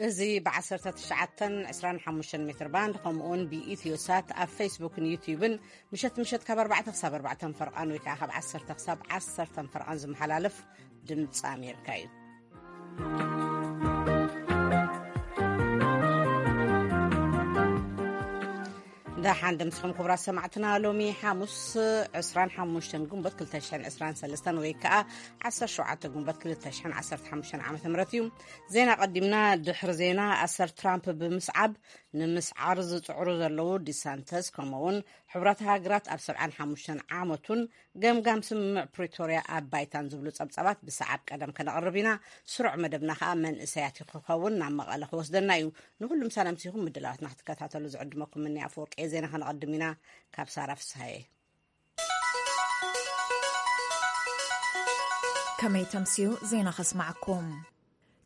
እዚ ብ19 25 ሜትር ባንድ፣ ከምኡውን ብኢትዮ ሳት ኣብ ፌስቡክን ዩቲዩብን ምሸት ምሸት ካብ ኣርባዕተ ክሳብ ኣርባዕተ ፈርቓን ወይ ከዓ ካብ ዓሰርተ ክሳብ ዓሰርተ ፈርቓን ዝመሓላለፍ ድምፂ ኣሜሪካ እዩ። ደሓን ድምስኹም ክቡራት ሰማዕትና። ሎሚ ሓሙስ ዕስራን ሓሙሽተን ግንቦት ክልተ ሽሕን ዕስራን ሰለስተን ወይ ከዓ ዓሰርተ ሸውዓተ ግንቦት ክልተ ሽሕን ዓሰርተ ሓሙሽተን ዓመተ ምህረት እዩ። ዜና ቀዲምና። ድሕሪ ዜና፣ ኣሰር ትራምፕ ብምስዓብ ንምስዓር ዝጽዕሩ ዘለዉ ዲሳንተስ፣ ከምኡውን ሕቡራት ሃገራት ኣብ ሰብዓን ሓሙሽተን ዓመቱን ገምጋም ስምምዕ ፕሪቶርያ ኣብ ባይታን ዝብሉ ጸብጻባት ብሰዓብ ቀደም ከነቕርብ ኢና። ስሩዕ መደብና ከኣ መንእሰያት እዩ ክኸውን፣ ናብ መቐለ ክወስደና እዩ። ንኹሉም ሳላምሲኹም ምድላዋትና ክትከታተሉ ዝዕድመኩም ምኒ ኣፈወርቂ እየ። ዜና ከነቐድም ኢና ካብ ሳራ ፍስሃየ። ከመይ ተምስዩ ዜና ከስማዕኩም።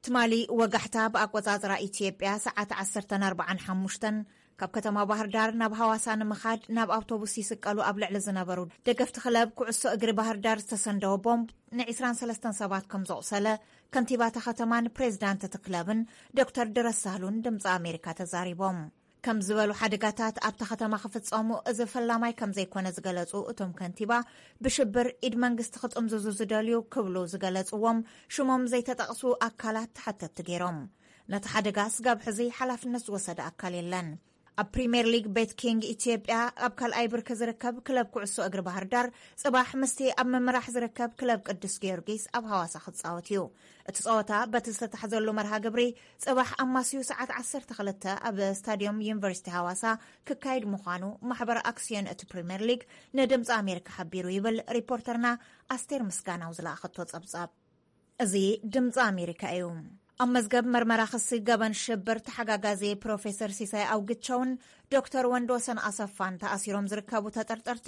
ትማሊ ወጋሕታ ብኣቆጻጽራ ኢትዮጵያ ሰዓት ዓሰርተ ኣርባዓን ሓሙሽተን ካብ ከተማ ባህር ዳር ናብ ሐዋሳ ንምኻድ ናብ ኣውቶቡስ ይስቀሉ ኣብ ልዕሊ ዝነበሩ ደገፍቲ ክለብ ኩዕሶ እግሪ ባህር ዳር ዝተሰንደወ ቦምብ ን23 ሰባት ከም ዘቑሰለ ከንቲባታ ከተማን ፕሬዝዳንት እቲ ክለብን ዶክተር ድረስ ሳህሉን ድምፂ ኣሜሪካ ተዛሪቦም። ከም ዝበሉ ሓደጋታት ኣብታ ከተማ ክፍጸሙ እዚ ፈላማይ ከም ዘይኮነ ዝገለጹ እቶም ከንቲባ፣ ብሽብር ኢድ መንግስቲ ክጥምዝዙ ዝደልዩ ክብሉ ዝገለጽዎም ሽሞም ዘይተጠቕሱ ኣካላት ተሓተትቲ ገይሮም። ነቲ ሓደጋ ስጋብ ሕዚ ሓላፍነት ዝወሰደ ኣካል የለን። ኣብ ፕሪምየር ሊግ ቤት ኪንግ ኢትዮጵያ ኣብ ካልኣይ ብርኪ ዝርከብ ክለብ ኩዕሶ እግሪ ባህር ዳር ጽባሕ ምስቲ ኣብ ምምራሕ ዝርከብ ክለብ ቅዱስ ጊዮርጊስ ኣብ ሐዋሳ ክጻወት እዩ። እቲ ጸወታ በቲ ዝተታሕዘሉ መርሃ ግብሪ ጽባሕ ኣማስዩ ሰዓት ዓሰርተ ክልተ ኣብ ስታዲየም ዩኒቨርሲቲ ሐዋሳ ክካየድ ምዃኑ ማሕበር ኣክስዮን እቲ ፕሪምየር ሊግ ንድምፂ ኣሜሪካ ሓቢሩ ይብል ሪፖርተርና ኣስቴር ምስጋናው ዝለኣኸቶ ጸብጻብ። እዚ ድምፂ ኣሜሪካ እዩ። ኣብ መዝገብ መርመራ ክሲ ገበን ሽብር ተሓጋጋዚ ፕሮፌሰር ሲሳይ ኣውግቸውን ዶክተር ወንድወሰን ኣሰፋን ተኣሲሮም ዝርከቡ ተጠርጠርቲ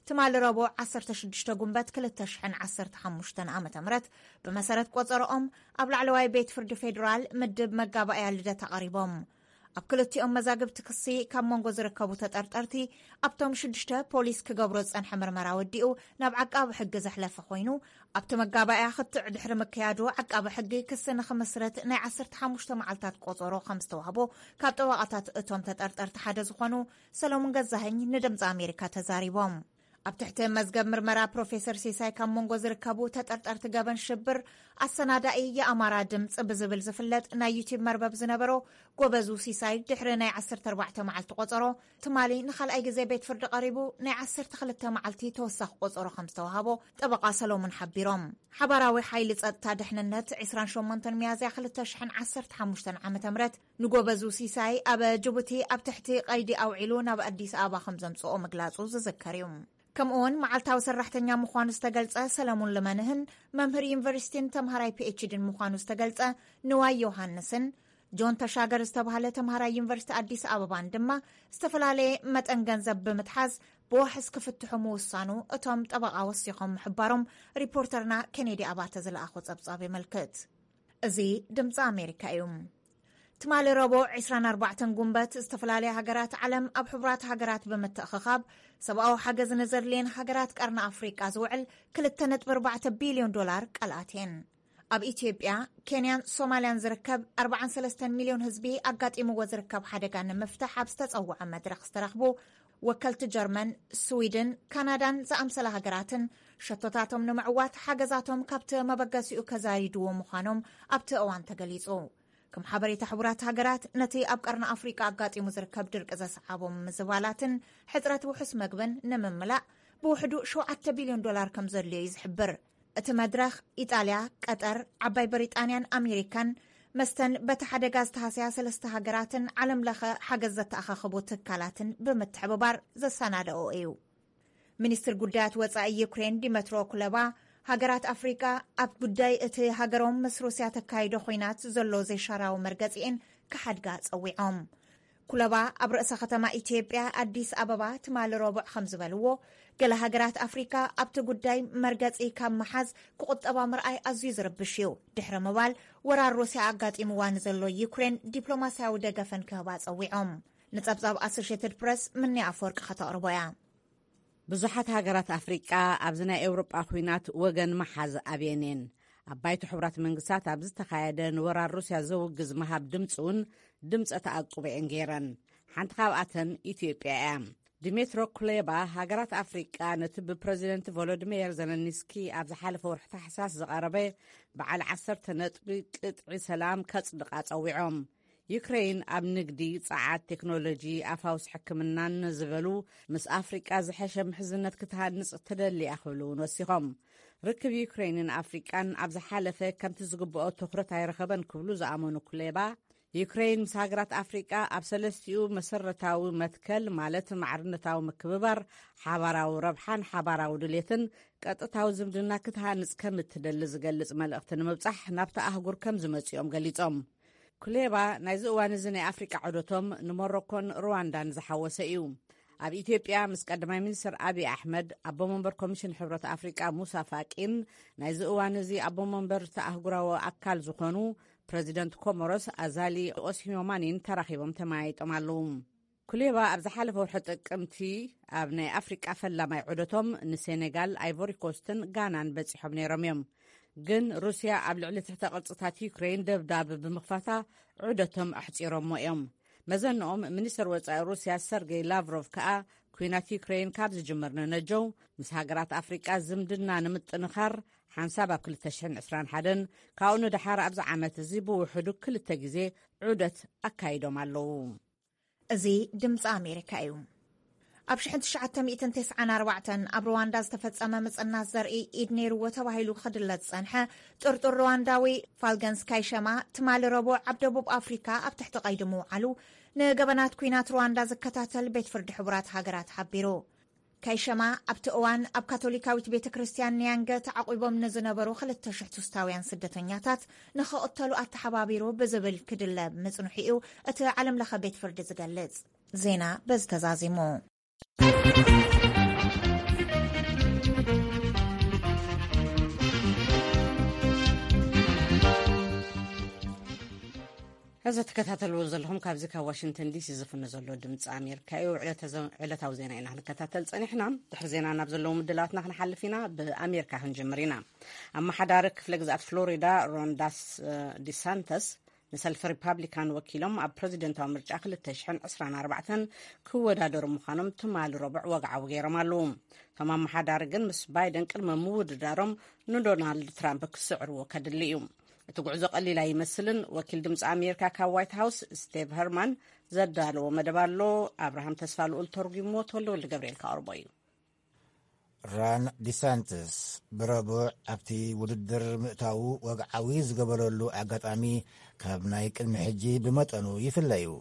ትማሊ ረቡዕ ዓሰርተ ሽዱሽተ ጉንበት ክልተ ሽሕን ዓሰርተ ሓሙሽተን ዓመተ ምህረት ብመሰረት ቆጸሮኦም ኣብ ላዕለዋይ ቤት ፍርዲ ፌዴራል ምድብ መጋባእያ ልደታ ቀሪቦም። ኣብ ክልቲኦም መዛግብቲ ክሲ ካብ መንጎ ዝርከቡ ተጠርጠርቲ ኣብቶም ሽዱሽተ ፖሊስ ክገብሮ ዝጸንሐ ምርመራ ወዲኡ ናብ ዓቃቢ ሕጊ ዘሕለፈ ኮይኑ፣ ኣብቲ መጋባእያ ክትዕ ድሕሪ ምክያዱ ዓቃቢ ሕጊ ክሲ ንክምስርት ናይ ዓሰርተ ሓሙሽተ መዓልታት ቆጸሮ ከም ዝተዋህቦ ካብ ጠበቓታት እቶም ተጠርጠርቲ ሓደ ዝኾኑ ሰሎሙን ገዛኸኝ ንድምፂ ኣሜሪካ ተዛሪቦም። ኣብ ትሕቲ መዝገብ ምርመራ ፕሮፌሰር ሲሳይ ካብ መንጎ ዝርከቡ ተጠርጠርቲ ገበን ሽብር ኣሰናዳኢ የኣማራ ድምፂ ብዝብል ዝፍለጥ ናይ ዩቲዩብ መርበብ ዝነበሮ ጎበዙ ሲሳይ ድሕሪ ናይ ዓሰርተ ኣርባዕተ መዓልቲ ቆጸሮ ትማሊ ንኻልኣይ ግዜ ቤት ፍርዲ ቀሪቡ ናይ ዓሰርተ ክልተ መዓልቲ ተወሳኺ ቆጸሮ ከም ዝተዋሃቦ ጠበቓ ሰሎሙን ሓቢሮም። ሓባራዊ ሓይሊ ጸጥታ ድሕንነት ዕስራን ሸሞንተን ሚያዝያ ክልተ ሽሕን ዓሰርተ ሓሙሽተን ዓመተ ምህረት ንጎበዙ ሲሳይ ኣብ ጅቡቲ ኣብ ትሕቲ ቀይዲ ኣውዒሉ ናብ ኣዲስ ኣበባ ከም ዘምጽኦ ምግላጹ ዝዝከር እዩ። ከምኡውን መዓልታዊ ሰራሕተኛ ምዃኑ ዝተገልጸ ሰለሙን ልመንህን መምህር ዩኒቨርሲቲን ተምሃራይ ፒኤችዲን ምዃኑ ዝተገልጸ ንዋይ ዮሃንስን ጆን ተሻገር ዝተባህለ ተምሃራይ ዩኒቨርሲቲ ኣዲስ ኣበባን ድማ ዝተፈላለየ መጠን ገንዘብ ብምትሓዝ ብዋሕስ ክፍትሑ ምውሳኑ እቶም ጠበቓ ወሲኾም ምሕባሮም ሪፖርተርና ኬኔዲ ኣባተ ዝለኣኾ ጸብጻብ የመልክት። እዚ ድምፂ ኣሜሪካ እዩ። ትማሊ ረቡዕ ዕስራን ኣርባዕተን ጉንበት ዝተፈላለያ ሃገራት ዓለም ኣብ ሕቡራት ሃገራት ብምትእኽኻብ ሰብኣዊ ሓገዝ ንዘድልየን ሃገራት ቀርኒ ኣፍሪቃ ዝውዕል ክልተ ነጥቢ ኣርባዕተ ቢልዮን ዶላር ቃል ኣትየን። ኣብ ኢትዮጵያ፣ ኬንያን ሶማልያን ዝርከብ ኣርባዓን ሰለስተን ሚልዮን ህዝቢ ኣጋጢምዎ ዝርከብ ሓደጋ ንምፍታሕ ኣብ ዝተጸውዐ መድረኽ ዝተረኽቡ ወከልቲ ጀርመን፣ ስዊድን፣ ካናዳን ዝኣምሰላ ሃገራትን ሸቶታቶም ንምዕዋት ሓገዛቶም ካብቲ መበገሲኡ ከዛይድዎ ምዃኖም ኣብቲ እዋን ተገሊጹ። ከም ሓበሬታ ሕቡራት ሃገራት፣ ነቲ ኣብ ቀርኒ ኣፍሪቃ ኣጋጢሙ ዝርከብ ድርቂ ዘስዓቦም ምዝባላትን ሕጽረት ውሑስ መግብን ንምምላእ ብውሕዱ ሸውዓተ ቢልዮን ዶላር ከም ዘድልዮ እዩ ዝሕብር። እቲ መድረኽ ኢጣልያ፣ ቀጠር፣ ዓባይ ብሪጣንያን ኣሜሪካን መስተን በቲ ሓደጋ ዝተሃስያ ሰለስተ ሃገራትን ዓለም ለኸ ሓገዝ ዘተኣኻኽቡ ትካላትን ብምትሕብባር ዘሰናደኦ እዩ። ሚኒስትር ጉዳያት ወጻኢ ዩክሬን ዲመትሮ ኩለባ፣ ሃገራት ኣፍሪቃ ኣብ ጉዳይ እቲ ሃገሮም ምስ ሩስያ ተካይዶ ኮይናት ዘሎ ዘይሻራዊ መርገጺኤን ክሓድጋ ጸዊዖም። ኩለባ ኣብ ርእሰ ከተማ ኢትዮጵያ ኣዲስ ኣበባ ትማሊ ረቡዕ ከም ዝበልዎ፣ ገለ ሃገራት ኣፍሪካ ኣብቲ ጉዳይ መርገጺ ካብ መሓዝ ክቑጠባ ምርኣይ ኣዝዩ ዝርብሽ እዩ ድሕሪ ምባል፣ ወራር ሩስያ ኣጋጢምዋ ንዘሎ ዩክሬን ዲፕሎማስያዊ ደገፈን ክህባ ጸዊዖም። ንጸብጻብ ኣሶሽየትድ ፕረስ ምንያ ኣፈወርቂ ከተቕርቦ እያ። ብዙሓት ሃገራት ኣፍሪቃ ኣብዚ ናይ ኤውሮጳ ኲናት ወገን መሓዝ ኣብየን እየን። ኣብ ባይቶ ሕቡራት መንግስታት ኣብ ዝተኻየደ ንወራር ሩስያ ዘውግዝ ምሃብ ድምፂ እውን ድምፀ ተኣቅቦ እየን ገይረን። ሓንቲ ካብኣተን ኢትዮጵያ እያ። ዲሜትሮ ኩሌባ፣ ሃገራት ኣፍሪቃ ነቲ ብፕረዚደንት ቮሎዲሚር ዘለንስኪ ኣብ ዝሓለፈ ወርሒ ታሕሳስ ዝቐረበ በዓል ዓሰርተ ነጥቢ ቅጥዒ ሰላም ከጽድቓ ጸዊዖም። ዩክሬን ኣብ ንግዲ፣ ጸዓት፣ ቴክኖሎጂ፣ ኣፋውስ ሕክምናን ዝበሉ ምስ ኣፍሪቃ ዝሐሸ ምሕዝነት ክትሃንጽ ትደሊ እያ ክብሉ እውን ወሲኾም። ርክብ ዩክሬንን ኣፍሪቃን ኣብ ዝሓለፈ ከምቲ ዝግብኦ ትኹረት ኣይረኸበን ክብሉ ዝኣመኑ ኩሌባ፣ ዩክሬን ምስ ሃገራት ኣፍሪቃ ኣብ ሰለስቲኡ መሰረታዊ መትከል፣ ማለት ማዕርነታዊ ምክብባር፣ ሓባራዊ ረብሓን ሓባራዊ ድሌትን፣ ቀጥታዊ ዝምድና ክትሃንጽ ከም እትደሊ ዝገልጽ መልእኽቲ ንምብጻሕ ናብቲ ኣህጉር ከም ዝመጽኦም ገሊጾም። ኩሌባ ናይዚ እዋን እዚ ናይ ኣፍሪቃ ዑደቶም ንሞሮኮን ሩዋንዳን ዝሓወሰ እዩ። ኣብ ኢትዮጵያ ምስ ቀዳማይ ሚኒስትር ኣብይ ኣሕመድ፣ ኣቦ መንበር ኮሚሽን ሕብረት ኣፍሪቃ ሙሳ ፋቂን ናይዚ እዋን እዚ ኣቦ መንበር እቲ ኣህጉራዊ ኣካል ዝኾኑ ፕረዚደንት ኮሞሮስ ኣዛሊ ኦስኒዮማኒን ተራኺቦም ተመያይጦም ኣለዉ። ኩሌባ ኣብ ዝሓለፈ ወርሒ ጥቅምቲ ኣብ ናይ ኣፍሪቃ ፈላማይ ዑደቶም ንሴኔጋል፣ ኣይቮሪ ኮስትን ጋናን በጺሖም ነይሮም እዮም። ግን ሩስያ ኣብ ልዕሊ ትሕተ ቅርጽታት ዩክሬን ደብዳብ ብምኽፋታ ዑደቶም ኣሕጺሮሞ እዮም። መዘንኦም ሚኒስተር ወጻኢ ሩስያ ሰርጌይ ላቭሮቭ ከኣ፣ ኩናት ዩክሬን ካብ ዝጅምር ንነጀው ምስ ሃገራት ኣፍሪቃ ዝምድና ንምጥንኻር ሓንሳብ ኣብ ክልተ ሽሕን ዕስራን ሓደን፣ ካብኡ ንደሓር ኣብዚ ዓመት እዚ ብውሕዱ ክልተ ግዜ ዑደት ኣካይዶም ኣለዉ። እዚ ድምፂ ኣሜሪካ እዩ። ኣብ ሽሕን ትሽዓተ ሚእትን ተስዓን ኣርባዕተን ኣብ ሩዋንዳ ዝተፈጸመ ምጽናት ዘርኢ ኢድ ነይርዎ ተባሂሉ ክድለ ዝጸንሐ ጥርጡር ሩዋንዳዊ ፋልገንስ ካይሸማ፣ ትማሊ ረቡዕ ኣብ ደቡብ ኣፍሪካ ኣብ ትሕቲ ቀይዲ ምውዓሉ ንገበናት ኲናት ሩዋንዳ ዝከታተል ቤት ፍርዲ ሕቡራት ሃገራት ሓቢሩ። ካይሸማ ኣብቲ እዋን ኣብ ካቶሊካዊት ቤተ ክርስቲያን ኒያንገ ተዓቑቦም ንዝነበሩ ክልተ ሽሕ ቱስታውያን ስደተኛታት ንኽቕተሉ ኣተሓባቢሩ ብዝብል ክድለ ምጽንሑ እዩ እቲ ዓለም ለኸ ቤት ፍርዲ ዝገልጽ። ዜና በዚ ተዛዚሙ። እዚ ትከታተልዎ ዘለኹም ካብዚ ካብ ዋሽንግተን ዲሲ ዝፍኖ ዘሎ ድምፂ ኣሜሪካ እዩ። ዕለተ-፣ ዕለታዊ ዜና ኢና ክንከታተል ጸኒሕና። ድሕሪ ዜና ናብ ዘለዉ ምድላዋትና ክንሓልፍ ኢና። ብኣሜሪካ ክንጅምር ኢና። ኣመሓዳሪ ክፍለ ግዝኣት ፍሎሪዳ ሮን ዳስ-፣ ዲሳንተስ ንሰልፊ ሪፓብሊካን ወኪሎም ኣብ ፕረዚደንታዊ ምርጫ ክልተ ሽሕን ዕስራን ኣርባዕተን ክወዳደሩ ምዃኖም ትማሊ ረቡዕ ወግዓዊ ገይሮም ኣለዉ። እቶም ኣመሓዳሪ ግን ምስ ባይደን ቅድሚ ምውድዳሮም ንዶናልድ ትራምፕ ክስዕርዎ ከድሊ እዩ። እቲ ጉዕዞ ቀሊል ኣይመስልን። ወኪል ድምፂ ኣሜሪካ ካብ ዋይት ሃውስ ስቴቭ ሄርማን ዘዳለዎ መደብ ኣሎ። ኣብርሃም ተስፋ ልኡል ተርጉሞ፣ ተወልደ ወልደ ገብርኤል ከቕርቦ እዩ። ራን ዲሳንትስ ብረቡዕ ኣብቲ ውድድር ምእታዉ ወግዓዊ ዝገበረሉ ኣጋጣሚ ካብ ናይ ቅድሚ ሕጂ ብመጠኑ ይፍለ እዩ።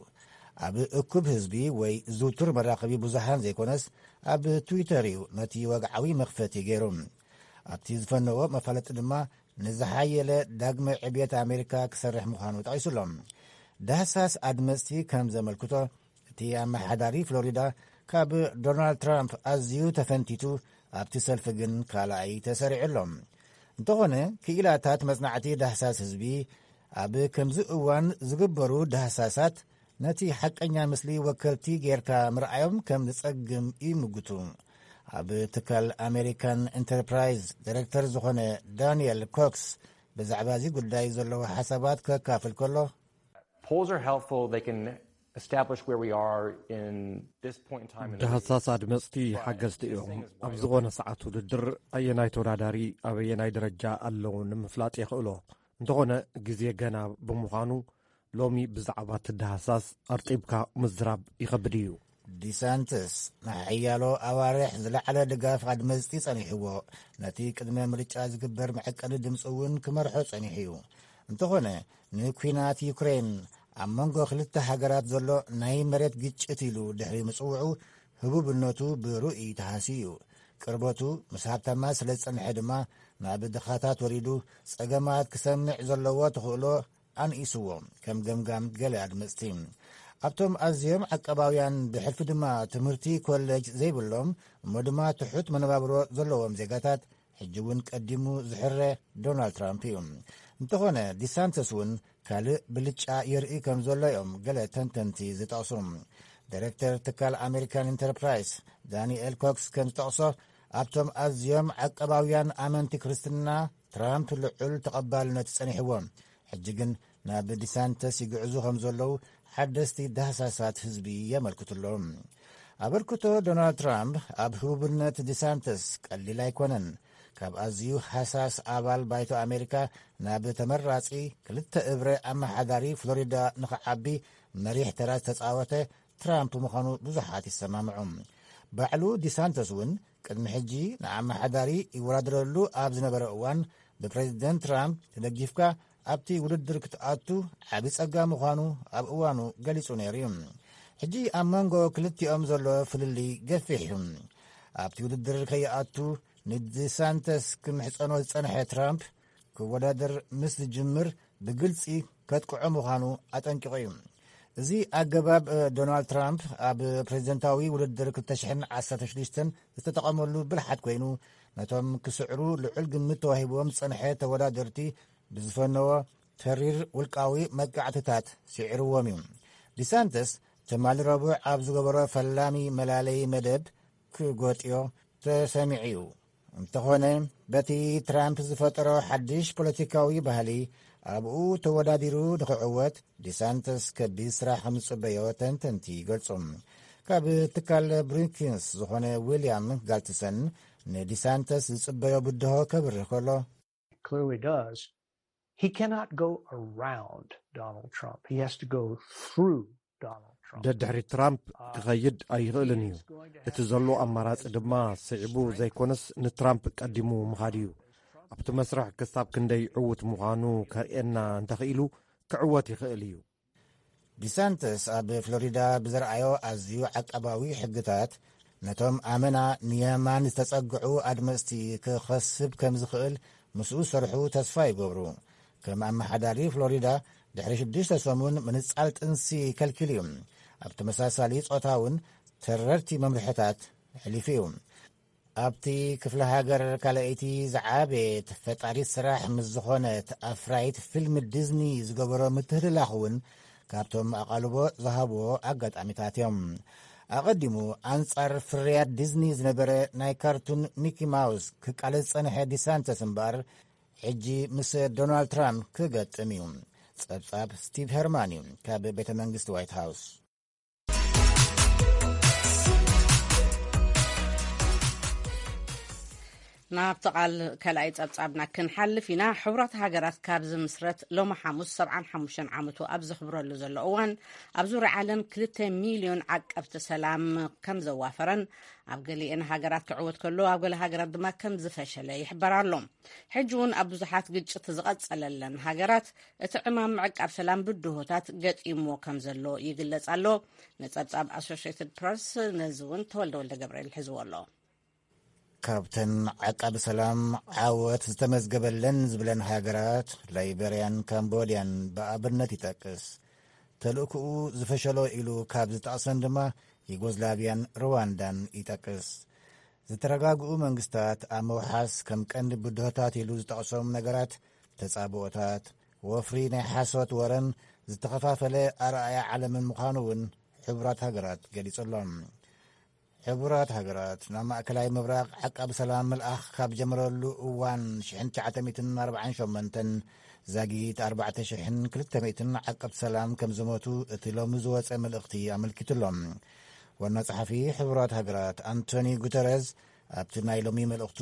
ኣብ እኩብ ህዝቢ ወይ ዝውቱር መራኸቢ ብዙሃን ዘይኮነስ፣ ኣብ ትዊተር እዩ ነቲ ወግዓዊ መኽፈቲ ገይሩ። ኣብቲ ዝፈነዎ መፋለጢ ድማ ንዝሓየለ ዳግመ ዕብየት ኣሜሪካ ክሰርሕ ምዃኑ ጠቒሱሎም። ዳህሳስ ኣድመፅቲ ከም ዘመልክቶ፣ እቲ ኣመሓዳሪ ፍሎሪዳ ካብ ዶናልድ ትራምፕ ኣዝዩ ተፈንቲቱ፣ ኣብቲ ሰልፊ ግን ካልኣይ ተሰሪዑ ኣሎ። እንተኾነ፣ ክኢላታት መጽናዕቲ ዳህሳስ ህዝቢ ኣብ ከምዚ እዋን ዝግበሩ ዳህሳሳት ነቲ ሓቀኛ ምስሊ ወከልቲ ጌርካ ምርኣዮም ከም ዝጸግም ይምጉቱ። ኣብ ትካል ኣሜሪካን ኢንተርፕራይዝ ዳይሬክተር ዝኾነ ዳንኤል ኮክስ ብዛዕባ እዚ ጉዳይ ዘለዎ ሓሳባት ከካፍል ከሎ፣ Polls are helpful. They can establish where we are in this point in time in the race. ዳህሳስ ኣድመፅቲ ሓገዝቲ እዮም። ኣብ ዝኾነ ሰዓት ውድድር ኣየናይ ተወዳዳሪ ኣበየናይ ደረጃ ኣለዉ ንምፍላጥ የኽእሎ። እንተኾነ፣ ግዜ ገና ብምዃኑ፣ ሎሚ ብዛዕባ እቲ ዳህሳስ ኣርጢብካ ምዝራብ ይኸብድ እዩ። ዲሳንትስ ንሓያሎ ኣዋርሕ ዝለዓለ ድጋፍ ኣድመፅቲ ጸኒሕዎ፣ ነቲ ቅድመ ምርጫ ዝግበር መዐቀኒ ድምፂ እውን ክመርሖ ጸኒሑ እዩ። እንተኾነ፣ ንኲናት ዩክሬን ኣብ መንጎ ክልተ ሃገራት ዘሎ ናይ መሬት ግጭት ኢሉ ድሕሪ ምጽውዑ፣ ህቡብነቱ ብርኡይ ተሃስዩ እዩ። ቅርበቱ ምስ ሃብታማት ስለ ዝጸንሐ ድማ፣ ናብ ድኻታት ወሪዱ ጸገማት ክሰምዕ ዘለዎ ተኽእሎ ኣንኢስዎ፣ ከም ገምጋም ገለ ኣድመጽቲ። ኣብቶም ኣዝዮም ዓቀባውያን፣ ብሕልፊ ድማ ትምህርቲ ኮሌጅ ዘይብሎም፣ እሞ ድማ ትሑት መነባብሮ ዘለዎም ዜጋታት፣ ሕጂ እውን ቀዲሙ ዝሕረ ዶናልድ ትራምፕ እዩ። እንተኾነ፣ ዲሳንተስ እውን ካልእ ብልጫ የርኢ ከም ዘሎ እዮም ገለ ተንተንቲ ዝጠቕሱ። ዳይሬክተር ትካል ኣሜሪካን ኢንተርፕራይስ ዳንኤል ኮክስ ከም ዝጠቕሶ፣ ኣብቶም ኣዝዮም ዓቀባውያን ኣመንቲ ክርስትና ትራምፕ ልዑል ተቐባልነት ጸኒሕዎ። ሕጂ ግን ናብ ዲሳንተስ ይግዕዙ ከም ዘለዉ ሓደስቲ ዳህሳሳት ህዝቢ የመልክቱ ኣለዉ። ኣበርክቶ ዶናልድ ትራምፕ ኣብ ህቡብነት ዲሳንተስ ቀሊል ኣይኮነን። ካብ ኣዝዩ ሃሳስ ኣባል ባይቶ ኣሜሪካ ናብ ተመራጺ ክልተ እብረ ኣመሓዳሪ ፍሎሪዳ ንኽዓቢ መሪሕ ተራ ዝተጻወተ ትራምፕ ምዃኑ ብዙሓት ይሰማምዑ። ባዕሉ ዲሳንተስ እውን ቅድሚ ሕጂ ንኣመሓዳሪ ይወዳደረሉ ኣብ ዝነበረ እዋን ብፕሬዚደንት ትራምፕ ተደጊፍካ ኣብቲ ውድድር ክትኣቱ ዓቢ ጸጋ ምዃኑ ኣብ እዋኑ ገሊጹ ነይሩ እዩ። ሕጂ ኣብ መንጎ ክልቲኦም ዘሎ ፍልልይ ገፊሕ እዩ። ኣብቲ ውድድር ከይኣቱ ንዲሳንተስ ክምሕጸኖ ዝጸንሐ ትራምፕ ክወዳደር ምስ ዝጅምር ብግልጺ ከጥቅዖ ምዃኑ ኣጠንቂቑ እዩ። እዚ ኣገባብ ዶናልድ ትራምፕ ኣብ ፕሬዚደንታዊ ውድድር ክልተ ሽሕን ዓሰርተ ሽዱሽተን ዝተጠቐመሉ ብልሓት ኮይኑ ነቶም ክስዕሩ ልዑል ግምት ተዋሂብዎም ዝጸንሐ ተወዳደርቲ ብዝፈነዎ ተሪር ውልቃዊ መጥቃዕትታት ስዒርዎም እዩ። ዲሳንተስ ትማሊ ረቡዕ ኣብ ዝገበሮ ፈላሚ መላለይ መደብ ክጎጥዮ ተሰሚዑ እዩ። እንተኾነ በቲ ትራምፕ ዝፈጠሮ ሓድሽ ፖለቲካዊ ባህሊ ኣብኡ ተወዳዲሩ ንኽዕወት ዲሳንተስ ከቢድ ስራሕ ከም ዝጽበዮ ተንተንቲ ይገልጹ። ካብ ትካል ብሩኪንስ ዝኾነ ዊልያም ጋልትሰን ንዲሳንተስ ዝጽበዮ ብድሆ ከብርህ ከሎ clearly does, he cannot go around Donald Trump. He has to go through Donald Trump. ደድሕሪ ትራምፕ ክኸይድ ኣይኽእልን እዩ። እቲ ዘሎ ኣማራጺ ድማ ስዒቡ ዘይኮነስ ንትራምፕ ቀዲሙ ምኻድ እዩ። ኣብቲ መስርሕ ክሳብ ክንደይ ዕዉት ምዃኑ ከርእየና እንተኽኢሉ ክዕወት ይኽእል እዩ። ዲሳንተስ ኣብ ፍሎሪዳ ብዘርኣዮ ኣዝዩ ዓቃባዊ ሕግታት ነቶም ኣመና ንየማን ዝተጸግዑ ኣድመጽቲ ክኸስብ ከም ዝኽእል ምስኡ ዝሰርሑ ተስፋ ይገብሩ። ከም ኣመሓዳሪ ፍሎሪዳ ድሕሪ ሽዱሽተ ሰሙን ምንጻል ጥንሲ ከልኪሉ እዩ። ኣብ ተመሳሳሊ ጾታ እውን ተረርቲ መምርሕታት ኣሕሊፉ እዩ። ኣብቲ ክፍለ ሃገር ካልኣይቲ ዝዓበየት ፈጣሪት ስራሕ ምስ ዝኾነት ኣፍራይት ፊልም ዲዝኒ ዝገበሮ ምትህልላኽ እውን ካብቶም ኣቓልቦ ዝሃብዎ ኣጋጣሚታት እዮም። ኣቐዲሙ ኣንጻር ፍርያት ዲዝኒ ዝነበረ ናይ ካርቱን ሚኪ ማውስ ክቃለስ ዝጸንሐ ዲሳንተስ እምበኣር ሕጂ ምስ ዶናልድ ትራምፕ ክገጥም እዩ። ጸብጻብ ስቲቭ ሄርማን እዩ ካብ ቤተ መንግስቲ ዋይት ሃውስ። ናብቲ ቃል ካልኣይ ጸብጻብና ክንሓልፍ ኢና። ሕቡራት ሃገራት ካብ ዝምስረት ሎሚ ሓሙስ ሰብዓን ሓሙሽተን ዓመቱ ኣብ ዘኽብረሉ ዘሎ እዋን ኣብ ዙርያ ዓለም ክልተ ሚልዮን ዓቀብቲ ሰላም ከም ዘዋፈረን ኣብ ገሊአን ሃገራት ክዕወት ከሎ ኣብ ገለ ሃገራት ድማ ከም ዝፈሸለ ይሕበር ኣሎ። ሕጂ እውን ኣብ ብዙሓት ግጭት ዝቐጸለለን ሃገራት እቲ ዕማም ምዕቃብ ሰላም ብድሆታት ገጢምዎ ከም ዘሎ ይግለጽ ኣሎ። ንጸብጻብ ኣሶሽትድ ፕረስ ነዚ እውን ተወልደ ወልደ ገብርኤል ሒዝዎ ኣሎ። ካብተን ዓቃቢ ሰላም ዓወት ዝተመዝገበለን ዝብለን ሃገራት ላይቤርያን ካምቦድያን ብኣብነት ይጠቅስ። ተልእክኡ ዝፈሸሎ ኢሉ ካብ ዝጠቕሰን ድማ ዩጎዝላቪያን ሩዋንዳን ይጠቅስ። ዝተረጋግኡ መንግስታት ኣብ ምውሓስ ከም ቀንዲ ብድሆታት ኢሉ ዝጠቕሶም ነገራት ተጻብኦታት፣ ወፍሪ ናይ ሓሶት ወረን ዝተኸፋፈለ ኣርኣያ ዓለምን ምዃኑ እውን ሕቡራት ሃገራት ገሊጹ ኣሎ። ሕቡራት ሃገራት ናብ ማእከላይ ምብራቕ ዓቃቢ ሰላም ምልኣኽ ካብ ጀመረሉ እዋን ሽሕን ትሽዓተ ሚእትን ኣርባዓን ሸሞንተን ዛጊት ኣርባዕተ ሽሕን ክልተ ሚእትን ዓቀብቲ ሰላም ከም ዝሞቱ እቲ ሎሚ ዝወጸ መልእኽቲ ኣመልኪቱ ኣሎ። ዋና ጸሓፊ ሕቡራት ሃገራት ኣንቶኒ ጉተረዝ ኣብቲ ናይ ሎሚ መልእኽቱ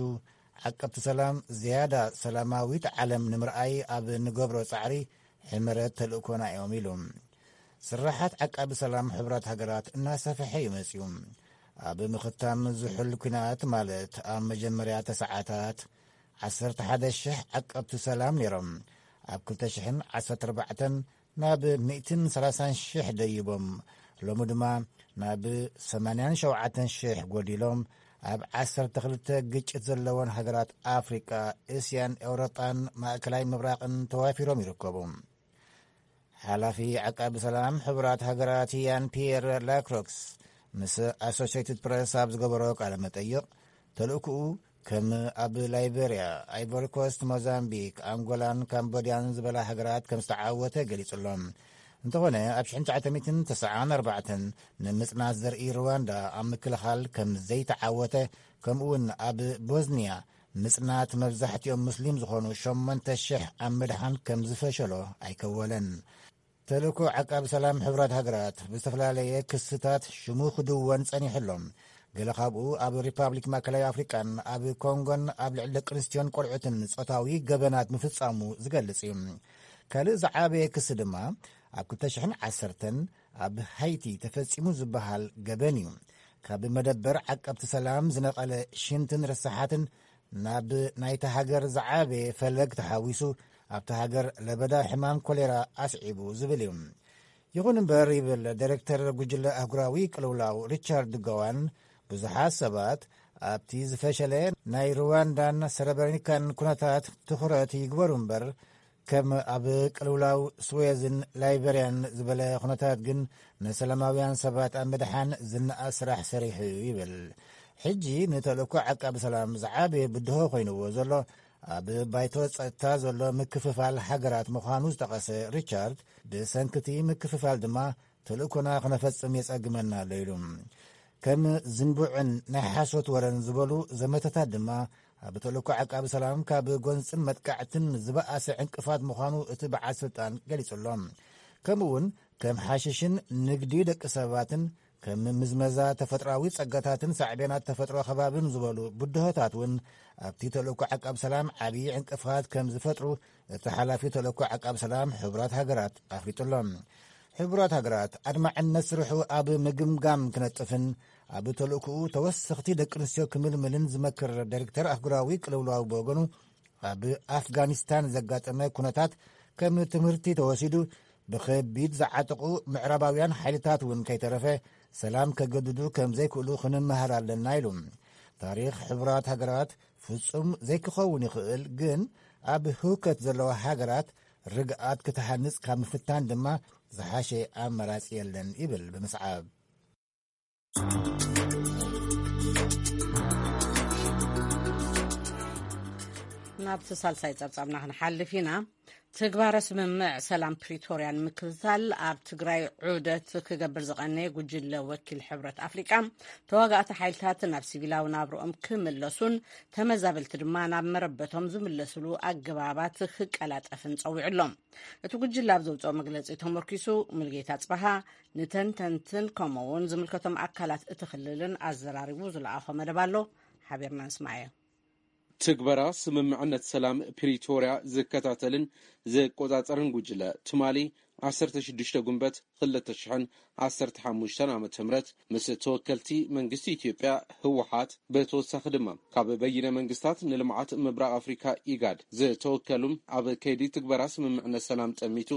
ዓቀብቲ ሰላም ዝያዳ ሰላማዊት ዓለም ንምርኣይ ኣብ እንገብሮ ጻዕሪ ሕመረት ተልእኮና እዮም ኢሉ። ስራሓት ዓቃቢ ሰላም ሕቡራት ሃገራት እናሰፈሐ እዩ መጺኡ። ኣብ ምኽታም ዝሑል ኲናት ማለት ኣብ መጀመርያ ተሰዓታት ዓሰርተ ሓደ ሽሕ ዓቀብቲ ሰላም ነይሮም። ኣብ ክልተ ሽሕን ዓሰርተ ኣርባዕተን ናብ ሚእትን ሰላሳን ሽሕ ደይቦም። ሎሚ ድማ ናብ ሰማንያን ሸውዓተን ሽሕ ጎዲሎም ኣብ ዓሰርተ ክልተ ግጭት ዘለወን ሃገራት ኣፍሪቃ፣ እስያን ኤውሮጳን ማእከላይ ምብራቕን ተዋፊሮም ይርከቡ። ሓላፊ ዓቃቢ ሰላም ሕቡራት ሃገራት ያን ፒየር ላክሮክስ ምስ ኣሶሽትድ ፕረስ ኣብ ዝገበሮ ቃለ መጠይቕ ተልእክኡ ከም ኣብ ላይቤርያ፣ ኣይቮሪኮስት፣ ሞዛምቢክ፣ ኣንጎላን ካምቦድያን ዝበላ ሃገራት ከም ዝተዓወተ ገሊጹ ኣሎ። እንተኾነ ኣብ ሽሕን ትሽዓተ ሚእትን ተስዓን ኣርባዕተን ንምጽናት ዘርኢ ሩዋንዳ ኣብ ምክልኻል ከም ዘይተዓወተ ከምኡውን ኣብ ቦዝኒያ ምጽናት መብዛሕትኦም ሙስሊም ዝኾኑ ሸሞንተ ሽሕ ኣብ ምድሓን ከም ዝፈሸሎ ኣይከወለን። ተልእኮ ዓቃቢ ሰላም ሕቡራት ሃገራት ብዝተፈላለየ ክስታት ሽሙ ክድወን ጸኒሑ ኣሎ። ገለ ካብኡ ኣብ ሪፓብሊክ ማእከላይ ኣፍሪቃን ኣብ ኮንጎን ኣብ ልዕሊ ደቂ ኣንስትዮን ቆልዑትን ጾታዊ ገበናት ምፍጻሙ ዝገልጽ እዩ። ካልእ ዝዓበየ ክሲ ድማ ኣብ ክልተ ሽሕን ዓሰርተን ኣብ ሃይቲ ተፈጺሙ ዝበሃል ገበን እዩ። ካብ መደበር ዓቀብቲ ሰላም ዝነቐለ ሽንትን ርሳሓትን ናብ ናይታ ሃገር ዝዓበየ ፈለግ ተሓዊሱ ኣብታ ሃገር ለበዳ ሕማም ኮሌራ ኣስዒቡ ዝብል እዩ። ይኹን እምበር ይብል ዳይሬክተር ጉጅለ ኣህጉራዊ ቅልውላው ሪቻርድ ጎዋን፣ ብዙሓት ሰባት ኣብቲ ዝፈሸለ ናይ ሩዋንዳን ሰረብረኒካን ኩነታት ትኹረት ይግበሩ እምበር ከም ኣብ ቅልውላው ስዌዝን ላይበርያን ዝበለ ኩነታት ግን ንሰላማውያን ሰባት ኣብ ምድሓን ዝነኣድ ስራሕ ሰሪሑ እዩ ይብል። ሕጂ ንተልእኮ ዓቃቢ ሰላም ዝዓበየ ብድሆ ኮይንዎ ዘሎ ኣብ ባይቶ ጸጥታ ዘሎ ምክፍፋል ሃገራት ምዃኑ ዝጠቐሰ ሪቻርድ፣ ብሰንክቲ ምክፍፋል ድማ ተልእኮና ክነፈጽም የጸግመና ኣሎ ኢሉ። ከም ዝንቡዕን ናይ ሓሶት ወረን ዝበሉ ዘመተታት ድማ ኣብ ተልእኮ ዓቃቢ ሰላም ካብ ጎንጽን መጥቃዕትን ዝበኣሰ ዕንቅፋት ምዃኑ እቲ በዓል ስልጣን ገሊጹ ኣሎ። ከምኡ እውን ከም ሓሽሽን ንግዲ ደቂ ሰባትን ከም ምዝመዛ ተፈጥሮኣዊ ጸጋታትን ሳዕቤናት ተፈጥሮ ከባብን ዝበሉ ብድሆታት እውን ኣብቲ ተልእኮ ዓቃብ ሰላም ዓብዪ ዕንቅፋት ከም ዝፈጥሩ እቲ ሓላፊ ተልእኮ ዓቃብ ሰላም ሕቡራት ሃገራት ኣፍሊጡ ኣሎ። ሕቡራት ሃገራት ኣድማዕነት ስርሑ ኣብ ምግምጋም ክነጥፍን ኣብ ተልእኮኡ ተወሰኽቲ ደቂ ኣንስትዮ ክምልምልን ዝመክር ዳይሬክተር ኣህጉራዊ ቅልውላው ብወገኑ፣ ኣብ ኣፍጋኒስታን ዘጋጠመ ኩነታት ከም ትምህርቲ ተወሲዱ፣ ብኸቢድ ዝዓጠቑ ምዕራባውያን ሓይልታት እውን ከይተረፈ ሰላም ከገድዱ ከም ዘይክእሉ ክንመሃር ኣለና ኢሉ። ታሪኽ ሕቡራት ሃገራት ፍጹም ዘይክኸውን ይኽእል፣ ግን ኣብ ህውከት ዘለዋ ሃገራት ርግኣት ክትሃንጽ ካብ ምፍታን ድማ ዝሓሸ ኣማራጺ የለን ይብል ብምስዓብ። ናብቲ ሳልሳይ ጸብጻብና ክንሓልፍ ኢና። ትግባረ ስምምዕ ሰላም ፕሪቶርያ ንምክትታል ኣብ ትግራይ ዑደት ክገብር ዝቐነየ ጉጅለ ወኪል ሕብረት ኣፍሪቃ፣ ተዋጋእቲ ሓይልታት ናብ ሲቪላዊ ናብርኦም ክምለሱን ተመዛበልቲ ድማ ናብ መረበቶም ዝምለስሉ ኣገባባት ክቀላጠፍን ጸዊዑ ኣሎ። እቲ ጉጅለ ኣብ ዘውፅኦ መግለፂ ተመርኪሱ፣ ሙልጌታ ጽበሃ ንተንተንትን ከምኡ እውን ዝምልከቶም ኣካላት እቲ ክልልን ኣዘራሪቡ ዝለኣኾ መደብ ኣሎ። ሓቢርና ንስማዓዮ። ትግበራ ስምምዕነት ሰላም ፕሪቶርያ ዝከታተልን ዝቆጻጸርን ጉጅለ፣ ትማሊ ዓሰርተ ሽዱሽተ ጉንበት ክልተ ሽሕን ዓሰርተ ሓሙሽተን ዓመተ ምህረት ምስ ተወከልቲ መንግስቲ ኢትዮጵያ፣ ህወሓት፣ ብተወሳኺ ድማ ካብ በይነ መንግስታት ንልምዓት ምብራቕ ኣፍሪካ፣ ኢጋድ፣ ዝተወከሉ ኣብ ከይዲ ትግበራ ስምምዕነት ሰላም ጠሚቱ